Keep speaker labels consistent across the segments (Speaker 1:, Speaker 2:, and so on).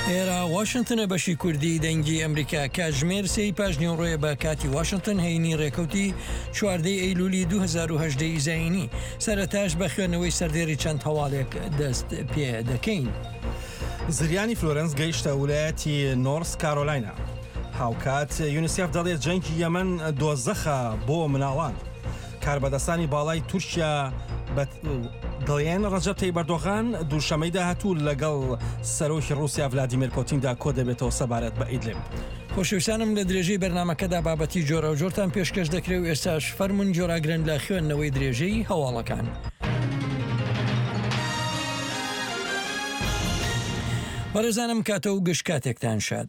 Speaker 1: ئێرە واشنتنە بەشی کوردی دەنگی ئەمریکا کاتژمێر سێی پاش نیوەڕۆیە بە کاتی واشنتن هەینی ڕێکەوتی چواردەی ئەیلولی 2010 ی زایینی سەرەتاش بە خوێندنەوەی سەردێری چەند هەواڵێک دەست پێ دەکەین.
Speaker 2: زریانی فلۆرنس گەیشتە ولایەتی نۆرس کارۆلاینا. هاوکات یونیسێف دەڵێت جەنگی یەمەن دۆزەخە بۆ مناڵان. کاربەدەستانی باڵای تورکیا دەڵێن ڕەجەب تەیب ئەردۆغان دووشەمەی داهاتوو لەگەڵ سەرۆکی ڕووسیا ڤلادیمێر پۆتیندا کۆدەبێتەوە سەبارەت بە ئیدلب.
Speaker 1: خۆشەویستانم لە درێژەی بەرنامەکەدا بابەتی جۆراوجۆرتان پێشکەش دەکرێ و ئێستاش فەرموون جۆراگرن لە خوێندنەوەی درێژەی هەواڵەکان. بەڕێزانم کاتە و گشت کاتێکتان شاد.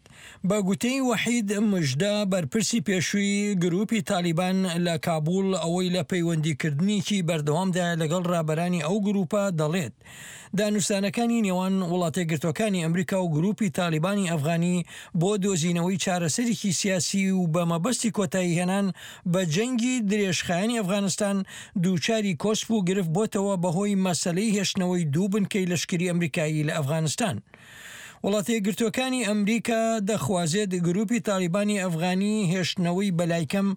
Speaker 1: بە گوتەی وەحید مژدە، بەرپرسی پێشووی گرووپی تالیبان لە کابوڵ، ئەوەی لە پەیوەندیکردنێکی بەردەوامدایە لەگەڵ رابەرانی ئەو گرووپە، دەڵێت، دانوستانەکانی نێوان وڵاتەیەکگرتووەکانی ئەمریکا و گرووپی تالیبانی ئەفغانی بۆ دۆزینەوەی چارەسەرێکی سیاسی و بە مەبەستی کۆتاییهێنان بە جەنگی درێژخایەنی ئەفغانستان دووچاری کۆسپ و گرفت بۆتەوە بەهۆی مەسەلەی هێشتنەوەی دوو بنکەی لەشکری ئەمریکایی لە ئەفغانستان. وڵاتەیەکگرتووەکانی ئەمریکا دەخوازێت گروپی تاڵیبانی ئەفغانی هێشتنەوەی بەلایکەم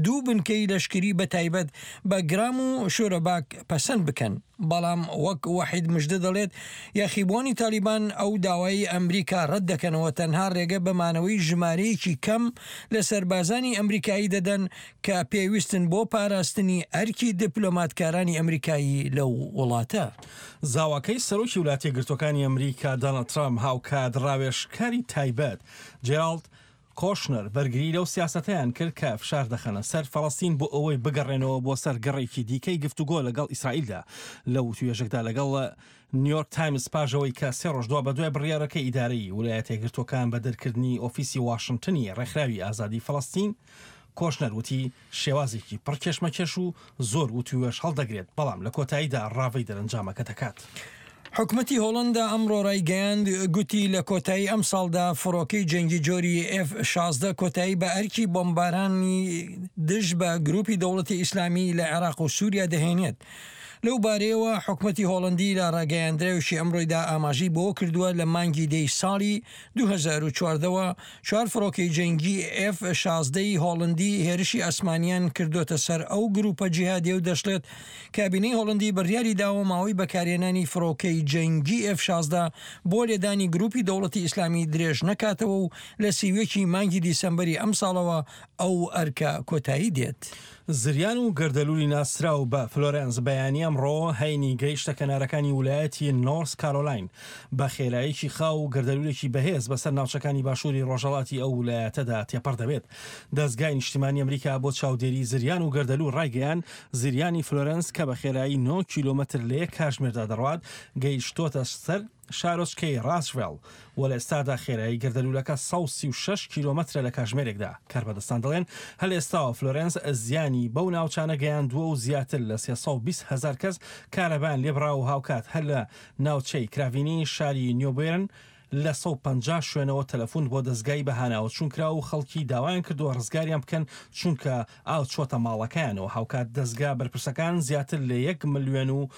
Speaker 1: دوو بنکەی لەشکری بەتایبەت بە گرام و شۆرەباک پەسەند بکەن، بەڵام وەک وەحید مژدە دەڵێت یاخیبووانی تاڵیبان ئەو داوایەی ئەمریکا رەت دەکەنەوە تەنها رێگە بە مانەوەی ژمارەیەکی کەم لە سەربازانی ئەمریکایی دەدەن کە پێویستن بۆ پاراستنی ئەرکی دیپلۆماتکارانی ئەمریکایی لەو وڵاتە.
Speaker 2: زاواکەی سەرۆکی ولاتیەکگرتوەکانی ئەمریکا داناڵد ترامپ هاوکات ڕاوێژکاری تایبەت جێراڵد کۆشنەر بەرگری لەو سیاسەتەیان کرد کە فشار دەخەنە سەر فەڵەستین بۆ ئەوەی بگەڕێنەوە بۆ سەر گەڕێکی دیکەی گفتوگۆ لەگەڵ ئیسرائیلدا لە وتوێژێکدا لەگەڵ نیویۆرک تایمز پاش ئەوەی کە سێ ڕۆژ دوابەدوای بڕیارەکەی ئیدارەی ولایەتەیەکگرتوەکان بە دەرکردنی ئۆفیسی واشنتنی ڕێکخراوی ئازادی فەڵەستین کۆشنەر وتی، شێوازێکی پڕ کێشمەکێش و زۆر وتووێژ هەڵدەگرێت، بەڵام لە کۆتاییدا ڕاڤەی دەرەنجامەکە دەکات.
Speaker 1: حکومەتی هۆڵەندا ئەمڕۆ ڕایگەیاند، گوتی لە کۆتایی ئەمساڵدا فڕۆکەی جەنگی جۆری ئێف 16 کۆتایی بە ئەرکی بۆمبارانی دژ بە گروپی دەوڵەتی ئیسلامی لە عێراق و سوریا دەهێنێت. لەو بارەیەوە حکومەتی هۆڵەندی لە ڕاگەیاندراوێکی ئەمڕۆیدا ئاماژەی بەوە کردووە لە مانگی دەی ساڵی 2014 وە چوار فڕۆکەی جەنگی ئێف 16 ی هۆڵندی هێرشی ئاسمانیان کردۆتە سەر ئەو گروپە جیهادیە و دەشڵێت کابینەی هۆڵندی بڕیاری داوە ماوەی بەکارهێنانی فڕۆکەی جەنگی ئێف 16 بۆ لێدانی گروپی دەوڵەتی ئیسلامی درێژ نەکاتەوە و لە 31 ی مانگی دیسەمبەری ئەمساڵەوە ئەو ئەرکە کۆتایی دێت.
Speaker 2: زریان و گەردەلوولی ناسراو بە فلۆرێنس بەیانی ئەمڕۆ هەینی گەیشتە کەنارەکانی ولایەتی نۆرس کارۆلاین بە خێراییەکی خاو و گەردەلوولێکی بەهێز بەسەر ناوچەکانی باشووری ڕۆژهەڵاتی ئەو ولایەتەدا تێپەڕ دەبێت. دەزگای نیشتیمانی ئەمریکا بۆ چاودێری زریان و گەردەلوول ڕایگەیاند، زریانی فلۆرێنس کە بە خێرایی نۆ کیلۆمەتر لە یەک کاژمێردا دەڕوات گەیشتۆتە سەر شارۆچکەی ڕاسڤێڵ و لە ئێستادا خێرایی گەردەلوولەکە 136 کیلۆمەترە لە کاژمێرێکدا. کاربەدەستان دەڵێن هەر لە ئێستاوە فلۆرێنس زیانی بەو ناوچانە گەیاندووە و زیاتر لە 320 هەزار کەس کارەبایان لێبڕاوە و هاوکات هەر لە ناوچەی کراڤینی شاری نیوبێرن لە 150 شوێنەوە تەلەفون بۆ دەزگای بەهاناوەچوون کرا و خەڵکی داوایان کردووە ڕزگاریان بکەن چونکە ئاو چووەتە ماڵەکەیانەوە هاوکات دەزگا بەرپرسەکان زیاتر لە یەک ملیۆن و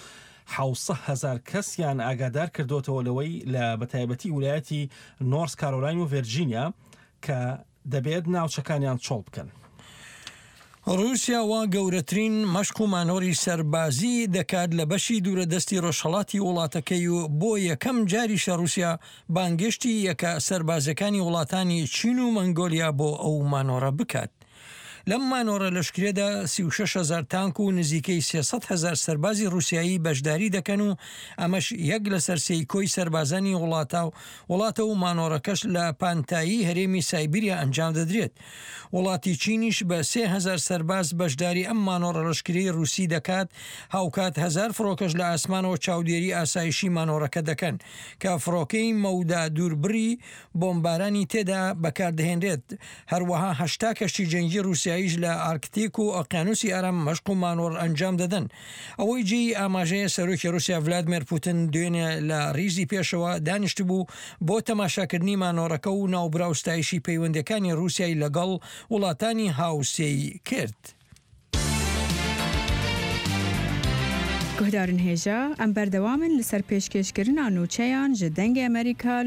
Speaker 2: 700 هەزار کەسیان ئاگادار کردۆتەوە لەوەی لە بەتایبەتی ولایەتی نۆرس کارۆلاین و ڤێرجینیا کە دەبێت ناوچەکانیان چۆڵ بکەن.
Speaker 1: ڕووسیا وا گەورەترین مەشق و مانۆڕی سەربازی دەکات لە بەشی دوورەدەستی ڕۆژهەڵاتی وڵاتەکەی و بۆ یەکەم جاریشە ڕووسیا بانگێشتی یەکە سەربازیەکانی وڵاتانی چین و مەنگۆلیا بۆ ئەو مانۆڕە بکات. لەم مانۆڕە لەشکریەدا 36 هەزار تانک و نزیکەی 300 هەزار سەربازی ڕووسیایی بەشداری دەکەن و ئەمەش یەک لەسەر سێی کۆی سەربازانی وڵاتە وڵاتە و مانۆڕەکەش لە پانتایی هەرێمی سایبیریا ئەنجام دەدرێت. وڵاتی چینیش بە 3000 سەرباز بەشداری ئەم مانۆڕە لەشکریەی ڕووسی دەکات، هاوکات هەزار فڕۆکەش لە ئاسمانەوە چاودێری ئاسایشی مانۆڕەکە دەکەن کە فڕۆکەی مەودا دووربڕی بۆمبارانی تێدا بەکاردەهێنرێت، هەروەها 80 کەشتی جەنگی ڕووسیاییش لە ئارکتیک و ئۆقیانوسی ئارام مەشق و مانۆڕ ئەنجام دەدەن. ئەوەی جێی ئاماژەیە سەرۆکی ڕووسیا ڤلادمێر پوتن دوێنێ لە ڕیزی پێشەوە دانیشتبوو بۆ تەماشاکردنی مانۆڕەکە و ناوبراو ستایشی پەیوەندییەکانی ڕووسیای لەگەڵ وڵاتانی هاوسێی کرد.
Speaker 3: Guhdarên hêja, em berdewam in li ser pêşkêşkirina nûçeyan ji Dengê Amerîka li.